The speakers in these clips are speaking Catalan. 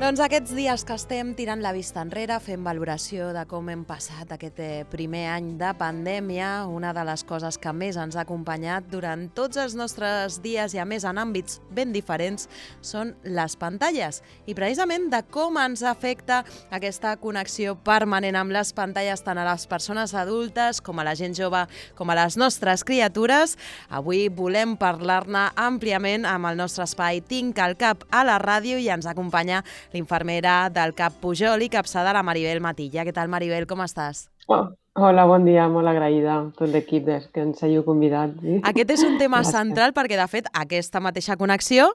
Doncs aquests dies que estem tirant la vista enrere, fent valoració de com hem passat aquest primer any de pandèmia, una de les coses que més ens ha acompanyat durant tots els nostres dies i a més en àmbits ben diferents són les pantalles. I precisament de com ens afecta aquesta connexió permanent amb les pantalles tant a les persones adultes com a la gent jove com a les nostres criatures. Avui volem parlar-ne àmpliament amb el nostre espai Tinc al Cap a la ràdio i ens acompanya l'infermera del CAP Pujol i capçada la Maribel Matilla. Què tal, Maribel? Com estàs? Hola, bon dia, molt agraïda a tot l'equip que ens hàgiu convidat. Sí? Aquest és un tema central perquè, de fet, aquesta mateixa connexió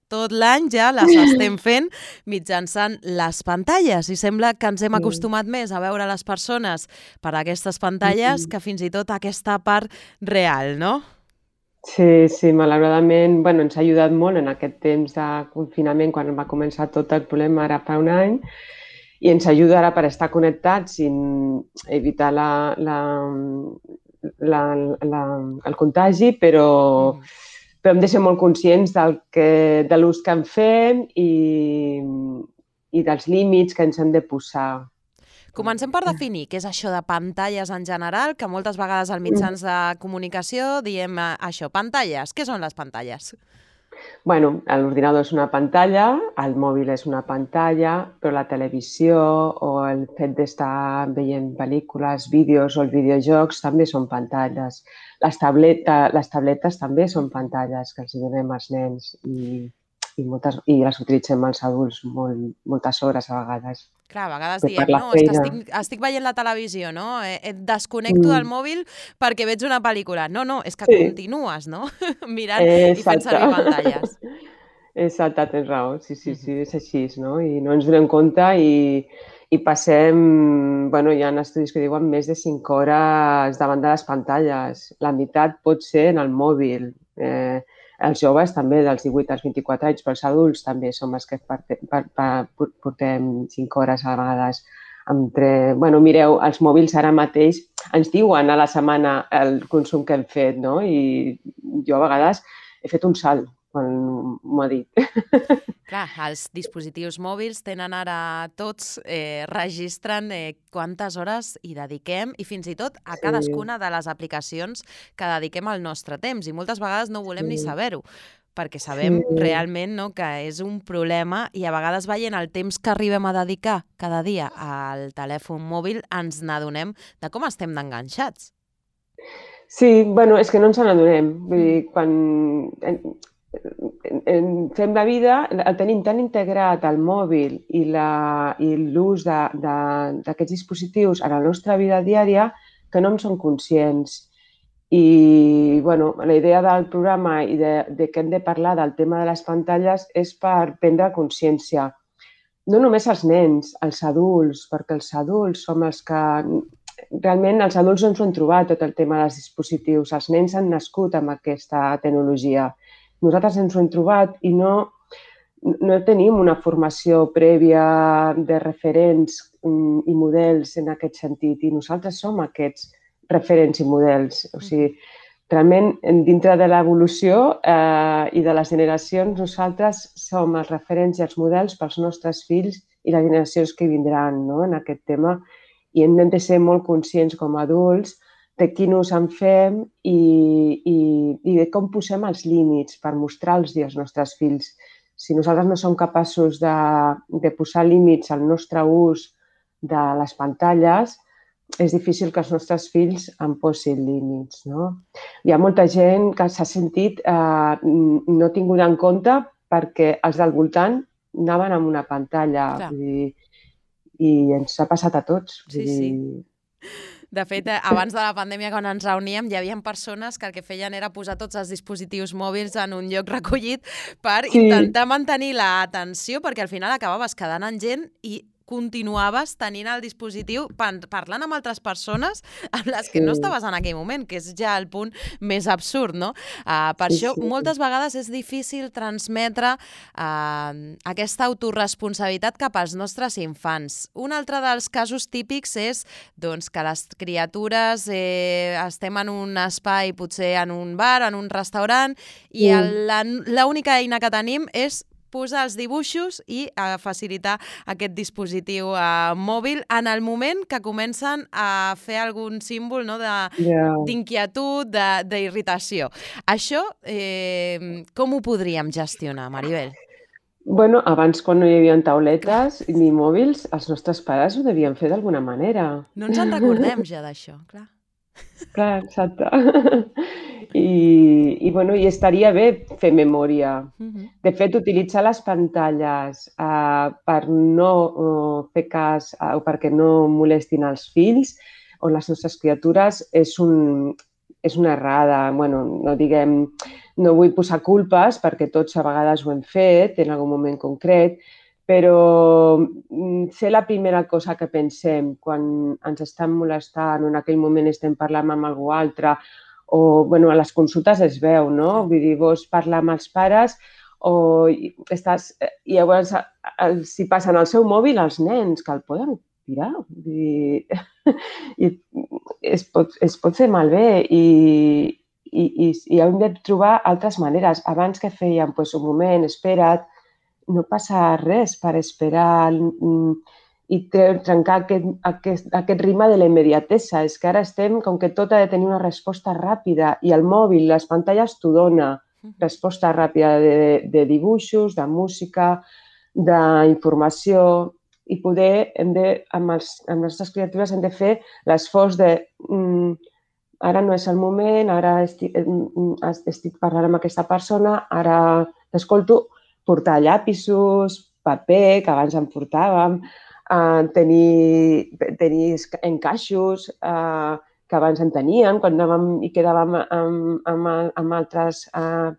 tot l'any ja les estem fent mitjançant les pantalles i sembla que ens hem acostumat més a veure les persones per aquestes pantalles que fins i tot aquesta part real, no? Sí, malauradament, ens ha ajudat molt en aquest temps de confinament quan va començar tot el problema ara fa un any i ens ajuda ara per estar connectats i evitar el contagi, però hem de ser molt conscients de l'ús que en fem i dels límits que ens hem de posar. Comencem per definir què és això de pantalles en general, que moltes vegades als mitjans de comunicació diem això, pantalles. Què són les pantalles? L'ordinador és una pantalla, el mòbil és una pantalla, però la televisió o el fet d'estar veient pel·lícules, vídeos o els videojocs també són pantalles. Les tabletes també són pantalles que els donem als nens i les utilitzem els adults moltes hores a vegades. Clar, a vegades diem, no, és que estic veient la televisió, no? Et desconnecto del mòbil perquè veig una pel·lícula. No, és que continues, no? Mirant i fent servir pantalles. Exacte, tens raó. Sí, és així, no? I no ens donem compte i passem, hi ha estudis que diuen més de 5 hores davant de les pantalles. La meitat pot ser en el mòbil. Els joves també, dels 18 als 24 anys, però els adults també som els que portem 5 hores a vegades. Mireu, els mòbils ara mateix ens diuen a la setmana el consum que hem fet, no? I jo a vegades he fet un salt quan m'ho ha dit. Clar, els dispositius mòbils tenen ara tots, registren quantes hores hi dediquem i fins i tot a cadascuna de les aplicacions que dediquem al nostre temps i moltes vegades no volem ni saber-ho perquè sabem realment que és un problema i a vegades veient el temps que arribem a dedicar cada dia al telèfon mòbil ens n'adonem de com estem d'enganxats. Sí, és que no ens n'adonem. Vull dir, quan fem la vida, el tenim tan integrat al mòbil i l'ús d'aquests dispositius a la nostra vida diària que no en som conscients. I la idea del programa i de que hem de parlar del tema de les pantalles és per prendre consciència. No només els nens, els adults, perquè els adults som els que... Realment els adults no ens ho han trobat tot el tema dels dispositius. Els nens han nascut amb aquesta tecnologia. Nosaltres ens ho hem trobat i no tenim una formació prèvia de referents i models en aquest sentit i nosaltres som aquests referents i models. O sigui, realment, dintre de l'evolució i de les generacions, nosaltres som els referents i els models pels nostres fills i les generacions que vindran en aquest tema i hem de ser molt conscients com a adults de quin ús en fem i de com posem els límits per mostrar-los als nostres fills. Si nosaltres no som capaços de posar límits al nostre ús de les pantalles, és difícil que els nostres fills en posin límits. No? Hi ha molta gent que s'ha sentit no tinguda en compte perquè els del voltant anaven amb una pantalla i ens ha passat a tots. Sí. De fet, abans de la pandèmia, quan ens reuníem, hi havia persones que el que feien era posar tots els dispositius mòbils en un lloc recollit per intentar mantenir l'atenció, perquè al final acabaves quedant amb gent i continuaves tenint el dispositiu parlant amb altres persones amb les que no estaves en aquell moment, que és ja el punt més absurd, no? Per això, moltes vegades és difícil transmetre aquesta autoresponsabilitat cap als nostres infants. Un altre dels casos típics és que les criatures estem en un espai, potser en un bar, en un restaurant, i l'única eina que tenim és posar els dibuixos i facilitar aquest dispositiu mòbil en el moment que comencen a fer algun símbol, no, d'inquietud, d'irritació. Això, com ho podríem gestionar, Maribel? Bueno, abans, quan no hi havia tauletes ni mòbils, els nostres pares ho devien fer d'alguna manera. No ens en recordem ja d'això, clar. Clar, exacte. Bueno, i estaria bé fer memòria. De fet, utilitzar les pantalles per no fer cas o perquè no molestin els fills o les nostres criatures és una errada. Bueno, no vull posar culpes perquè tots a vegades ho hem fet en algun moment concret, però ser la primera cosa que pensem quan ens estan molestant o en aquell moment estem parlant amb algú altre o bueno, a les consultes es veu, no? Vull dir, vols parlar amb els pares o estàs... I llavors si passen al seu mòbil els nens, que el poden tirar. Vull dir, i es pot fer malbé i hem de trobar altres maneres. Abans que fèiem, doncs, un moment, espera't, no passa res per esperar i trencar aquest ritme de la immediatesa. És que ara estem, com que tot ha de tenir una resposta ràpida i el mòbil, les pantalles t'ho dona, resposta ràpida de dibuixos, de música, d'informació i poder, amb les nostres criatures hem de fer l'esforç de ara no és el moment, ara estic parlant amb aquesta persona, ara t'escolto, portar llapisos, paper, que abans en portàvem, tenir encaixos que abans en teníem, quan anàvem i quedàvem amb altres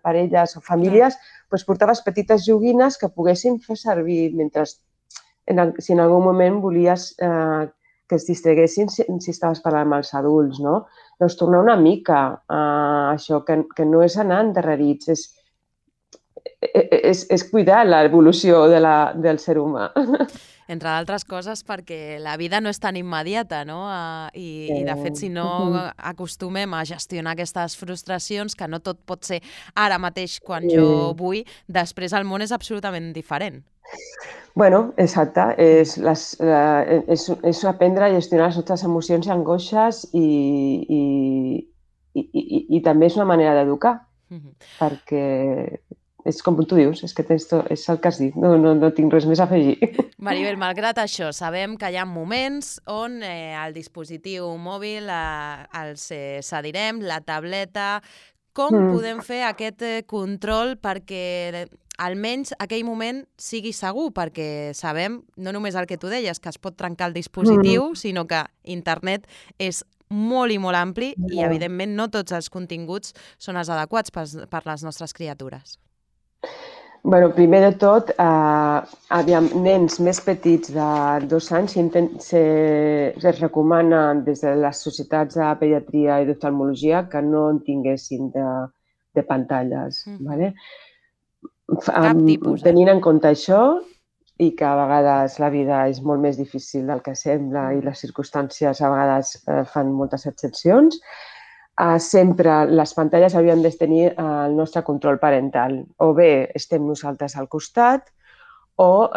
parelles o famílies, doncs portaves petites joguines que poguessin fer servir mentre, si en algun moment volies que es distreguessin si estaves parlant amb els adults, no? Doncs tornar una mica a això, que no és anar endarrerits, és cuidar l'evolució del ser humà. Entre altres coses perquè la vida no és tan immediata, no? I de fet, si no acostumem a gestionar aquestes frustracions, que no tot pot ser ara mateix quan jo vull, després el món és absolutament diferent. Bueno, exacte. És aprendre a gestionar les nostres emocions i angoixes i també és una manera d'educar, perquè és com tu dius, és el que has dit, no tinc res més a afegir. Maribel, malgrat això, sabem que hi ha moments on el dispositiu mòbil els cedirem, la tableta. Com podem fer aquest control perquè almenys aquell moment sigui segur? Perquè sabem, no només el que tu deies, que es pot trencar el dispositiu, sinó que internet és molt i molt ampli i, evidentment, no tots els continguts són els adequats per les nostres criatures. Bueno, primer de tot, nens més petits de 2 anys es recomana des de les societats de pediatria i d'oftalmologia que no en tinguessin de pantalles. Cap tipus. Tenint en compte això i que a vegades la vida és molt més difícil del que sembla i les circumstàncies a vegades fan moltes excepcions, sempre les pantalles haurien de tenir el nostre control parental. O bé estem nosaltres al costat o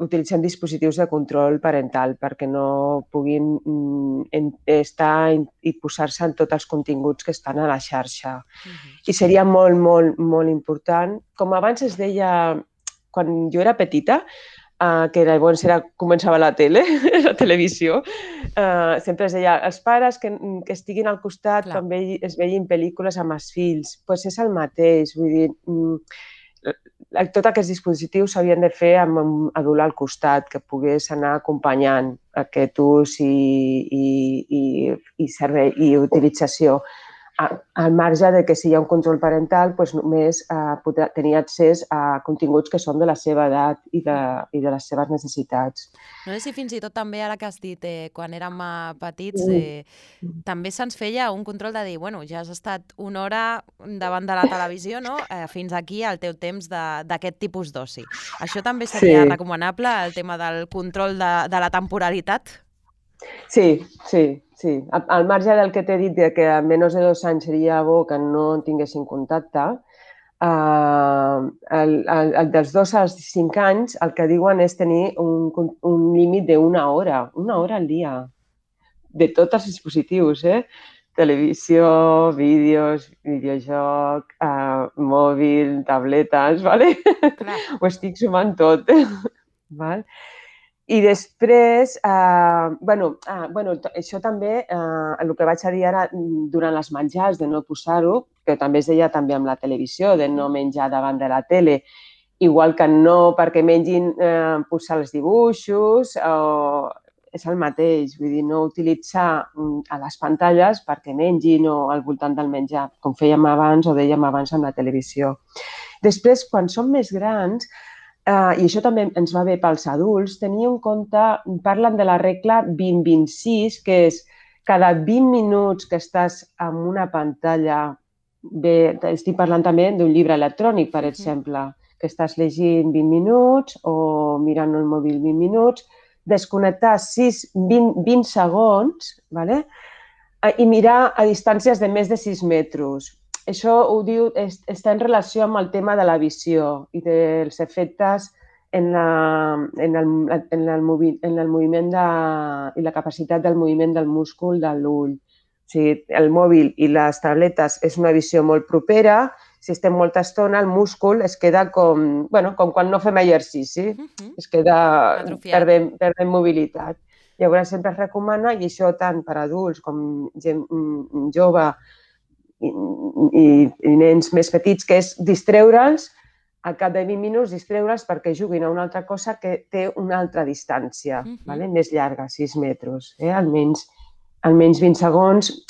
utilitzem dispositius de control parental perquè no puguin estar i posar-se en tots els continguts que estan a la xarxa. I seria molt, molt, molt important. Com abans es deia, quan jo era petita, que llavors començava la televisió, sempre es deia els pares que estiguin al costat quan es veien pel·lícules amb els fills. Doncs és el mateix, vull dir, tots aquests dispositius s'havien de fer amb un adult al costat, que pogués anar acompanyant aquest ús i servei i utilització. Al marge de que si hi ha un control parental, només podrà tenir accés a continguts que són de la seva edat i de les seves necessitats. No sé si fins i tot també, ara que has dit, quan érem petits, també se'ns feia un control de dir, bueno, ja has estat una hora davant de la televisió, no? Fins aquí el teu temps d'aquest tipus d'oci. Això també seria recomanable, el tema del control de la temporalitat? Sí. Al marge del que t'he dit que a menys de 2 anys seria bo que no tinguessin contacte, el dels 2 als 5 anys el que diuen és tenir un límit d'una hora al dia, de tots els dispositius, televisió, vídeos, videojoc, mòbil, tabletes, ¿vale? Clar. Ho estic sumant tot, val? I després, això també, el que vaig a dir ara durant les menjars, de no posar-ho, que també es deia també amb la televisió, de no menjar davant de la tele, igual que no perquè mengin posar els dibuixos, és el mateix, vull dir, no utilitzar a les pantalles perquè mengin o al voltant del menjar, com fèiem abans o dèiem abans amb la televisió. Després, quan som més grans, i això també ens va bé pels adults, tenir en compte, parlen de la regla 20-26, que és cada 20 minuts que estàs en una pantalla, estic parlant també d'un llibre electrònic, per exemple, que estàs llegint 20 minuts o mirant el mòbil 20 minuts, desconnectar 20 segons, ¿vale? I mirar a distàncies de més de 6 metres. Això ho diu, està en relació amb el tema de la visió i dels efectes en el moviment i la capacitat del moviment del múscul de l'ull. O sigui, el mòbil i les tabletes és una visió molt propera. Si estem molta estona, el múscul es queda com quan no fem exercici. Es queda perdent mobilitat. Llavors sempre es recomana, i això tant per adults com gent jove, i nens més petits, que és distreure'ls al cap de 20 minuts, distreure'ls perquè juguin a una altra cosa que té una altra distància, més llarga, 6 metres. Almenys 20 segons.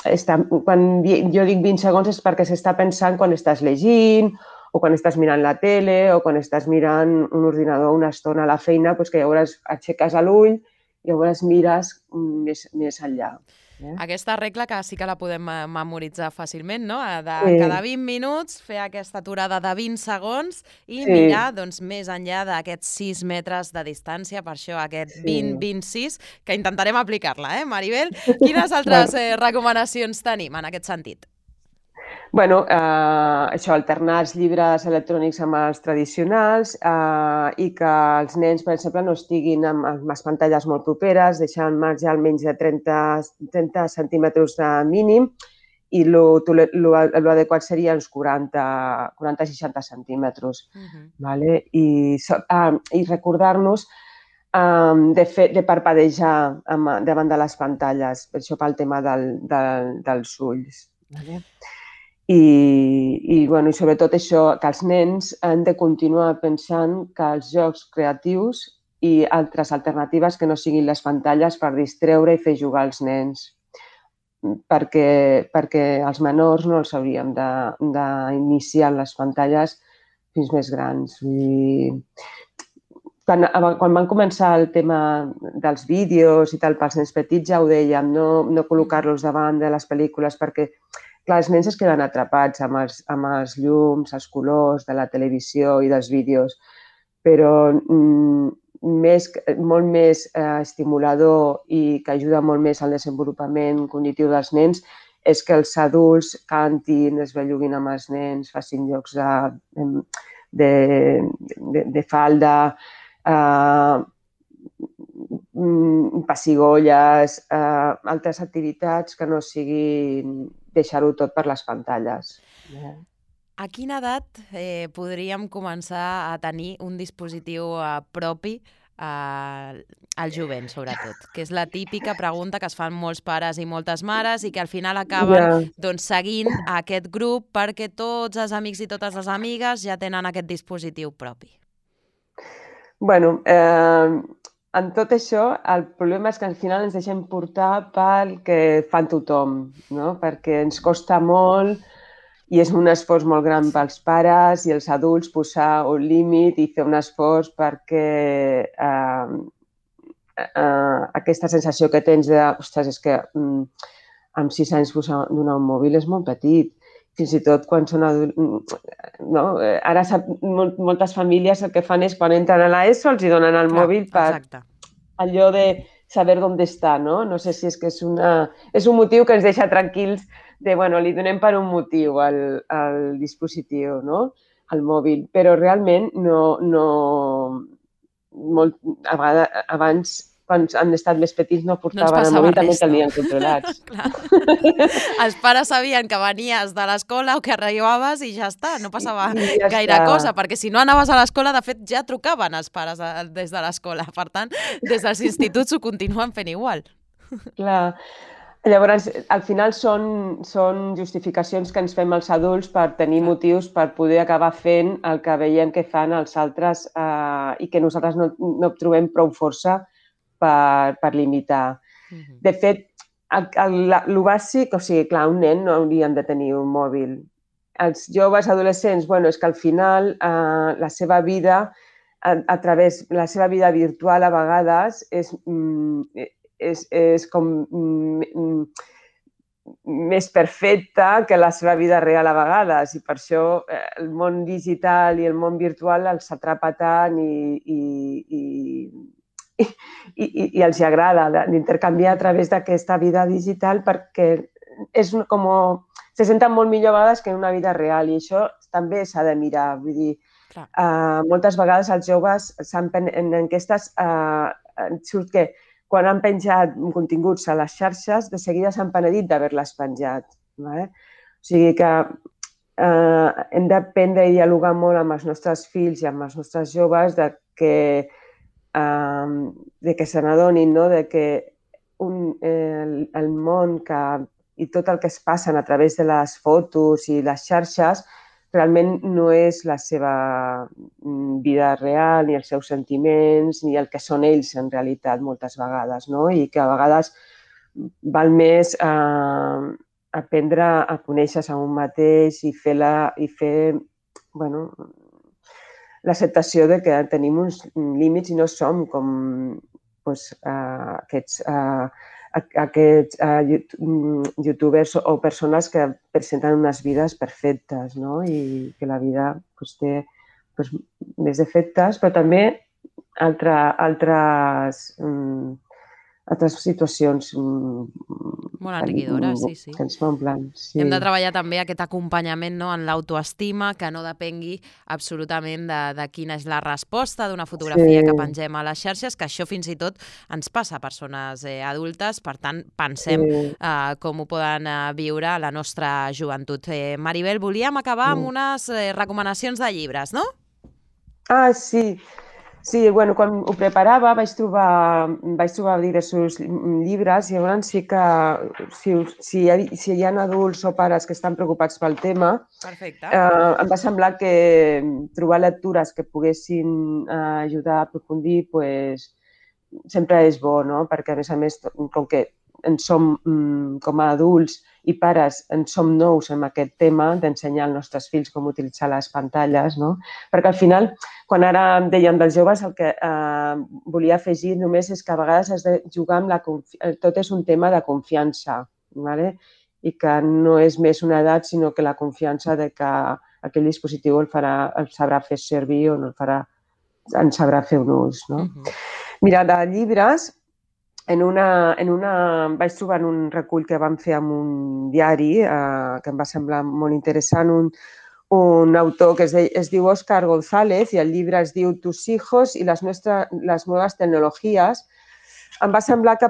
Quan jo dic 20 segons és perquè s'està pensant quan estàs llegint o quan estàs mirant la tele o quan estàs mirant un ordinador una estona a la feina, que llavors aixeques l'ull i llavors mires més enllà. Aquesta regla que sí que la podem memoritzar fàcilment, no? Cada 20 minuts fer aquesta aturada de 20 segons i mirar més enllà d'aquests 6 metres de distància, per això aquest 20-26, que intentarem aplicar-la, Maribel? Quines altres recomanacions tenim en aquest sentit? Això, alternar els llibres electrònics amb els tradicionals i que els nens, per exemple, no estiguin amb les pantalles molt properes, deixar al marge almenys de 30 centímetres de mínim i l'adequat seria uns 40-60 centímetres. I recordar-nos de parpadejar davant de les pantalles, per això pel tema dels ulls. I sobretot això, que els nens han de continuar pensant que els jocs creatius i altres alternatives que no siguin les pantalles per distreure i fer jugar els nens, perquè els menors no els hauríem d'iniciar en les pantalles fins més grans. Quan van començar el tema dels vídeos i tal pels nens petits ja ho dèiem, no col·locar-los davant de les pel·lícules perquè clar, els nens es queden atrapats amb els llums, els colors de la televisió i dels vídeos, però molt més estimulador i que ajuda molt més al desenvolupament cognitiu dels nens és que els adults cantin, es belluguin amb els nens, facin jocs de falda, pessigolles, altres activitats que no siguin deixar-ho tot per les pantalles. A quina edat podríem començar a tenir un dispositiu propi al jovent, sobretot? Que és la típica pregunta que es fan molts pares i moltes mares i que al final acaben seguint aquest grup perquè tots els amics i totes les amigues ja tenen aquest dispositiu propi. En tot això, el problema és que al final ens deixem portar pel que fan tothom, no? Perquè ens costa molt i és un esforç molt gran pels pares i els adults posar un límit i fer un esforç perquè aquesta sensació que tens de, ostres, és que amb 6 anys donar un mòbil és molt petit. Fins i tot quan són adults... Ara moltes famílies el que fan és quan entren a l'ESO els donen el mòbil per allò de saber on està, no? No sé si és que és un motiu que ens deixa tranquils de, li donem per un motiu al dispositiu, no? al mòbil, però realment a vegades, abans, quan han estat més petits, no No ens portaven el passava mòbil, també res, el no? tenien controlats. Clar. Els pares sabien que venies de l'escola o que arribaves i ja està, no passava I ja gaire està. cosa, perquè si no anaves a l'escola, de fet, ja trucaven els pares des de l'escola. Per tant, des dels instituts ho continuen fent igual. Clar. Llavors, al final són justificacions que ens fem els adults per tenir Clar. motius per poder acabar fent el que veiem que fan els altres i que nosaltres no trobem prou força per limitar. De fet, el bàsic, o sigui, clar, un nen no haurien de tenir un mòbil. Els joves adolescents, bueno, és que al final la seva vida, a través de la seva vida virtual a vegades és com més perfecta que la seva vida real a vegades i per això el món digital i el món virtual els atrapa tant i els agrada d'intercanviar a través d'aquesta vida digital perquè és com se senten molt millor a vegades que en una vida real i això també s'ha de mirar. Vull dir, moltes vegades els joves en enquestes surt que quan han penjat continguts a les xarxes, de seguida s'han penedit d'haver-les penjat. O sigui que hem d'aprendre a dialogar molt amb els nostres fills i amb els nostres joves de que se n'adonin, no? De que el món i tot el que es passen a través de les fotos i les xarxes realment no és la seva vida real, ni els seus sentiments, ni el que són ells en realitat moltes vegades, no? I que a vegades val més aprendre a conèixer-se a un mateix i fer l'acceptació de que tenim uns límits i no som com aquests youtubers o persones que presenten unes vides perfectes, no? I que la vida té més defectes, però també altres situacions molt enriquidores, sí. Que ens m'omplen. Sí. Hem de treballar també aquest acompanyament, no?, en l'autoestima, que no depengui absolutament de quina és la resposta d'una fotografia que pengem a les xarxes, que això fins i tot ens passa a persones adultes, per tant, pensem com ho poden viure a la nostra joventut. Maribel, volíem acabar amb unes recomanacions de llibres, no? Ah, sí. Sí, bueno, quan ho preparava vaig trobar diversos llibres i llavors sí que si hi ha adults o pares que estan preocupats pel tema, em va semblar que trobar lectures que poguessin ajudar a aprofundir sempre és bo, no? Perquè a més, com que en som com a adults i pares en som nous en aquest tema d'ensenyar als nostres fills com utilitzar les pantalles, no? Perquè al final, quan ara em deien dels joves, el que volia afegir només és que a vegades has de jugar amb tot és un tema de confiança, ¿vale? I que no és més una edat, sinó que la confiança de que aquell dispositiu el sabrà fer servir o no en sabrà fer un ús, no? Mira, de llibres, vaig trobar un recull que vam fer amb un diari que em va semblar molt interessant, un autor que es diu Óscar González i el llibre es diu Tus hijos y las nuevas tecnologías. Em va semblar que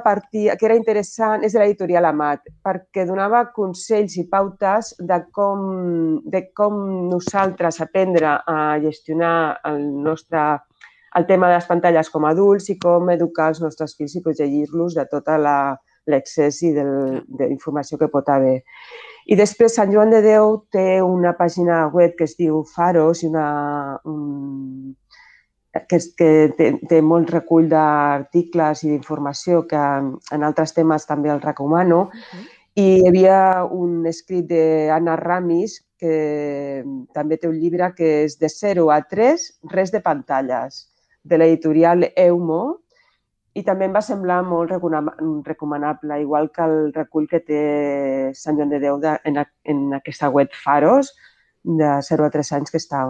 era interessant, és de l'editorial Amat, perquè donava consells i pautes de com nosaltres aprendre a gestionar el tema de les pantalles com a adults i com educar els nostres fills i protegir-los de tot l'excés i d'informació que pot haver. I després Sant Joan de Déu té una pàgina web que es diu Faros que té molt recull d'articles i d'informació que en altres temes també el recomano. I hi havia un escrit d'Anna Ramis que també té un llibre que és de 0 a 3, res de pantalles, de l'editorial Eumo, i també em va semblar molt recomanable, igual que el recull que té Sant Joan de Déu en aquesta web Faros, de 0 a 3 anys, que està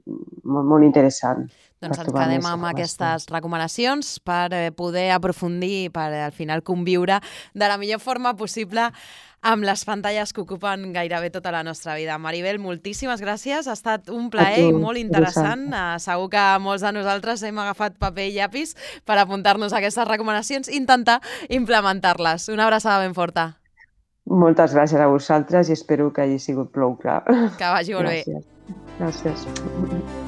molt, molt interessant. Doncs Per ens trobar quedem més amb informació. aquestes recomanacions per poder aprofundir, per al final conviure de la millor forma possible amb les pantalles que ocupen gairebé tota la nostra vida. Maribel, moltíssimes gràcies. Ha estat un A plaer tu, i molt interessant. vosaltres. Segur que molts de nosaltres hem agafat paper i llapis per apuntar-nos a aquestes recomanacions i intentar implementar-les. Una abraçada ben forta. Moltes gràcies a vosaltres i espero que hagi sigut prou clar. Que vagi molt bé. Gràcies. Gràcies.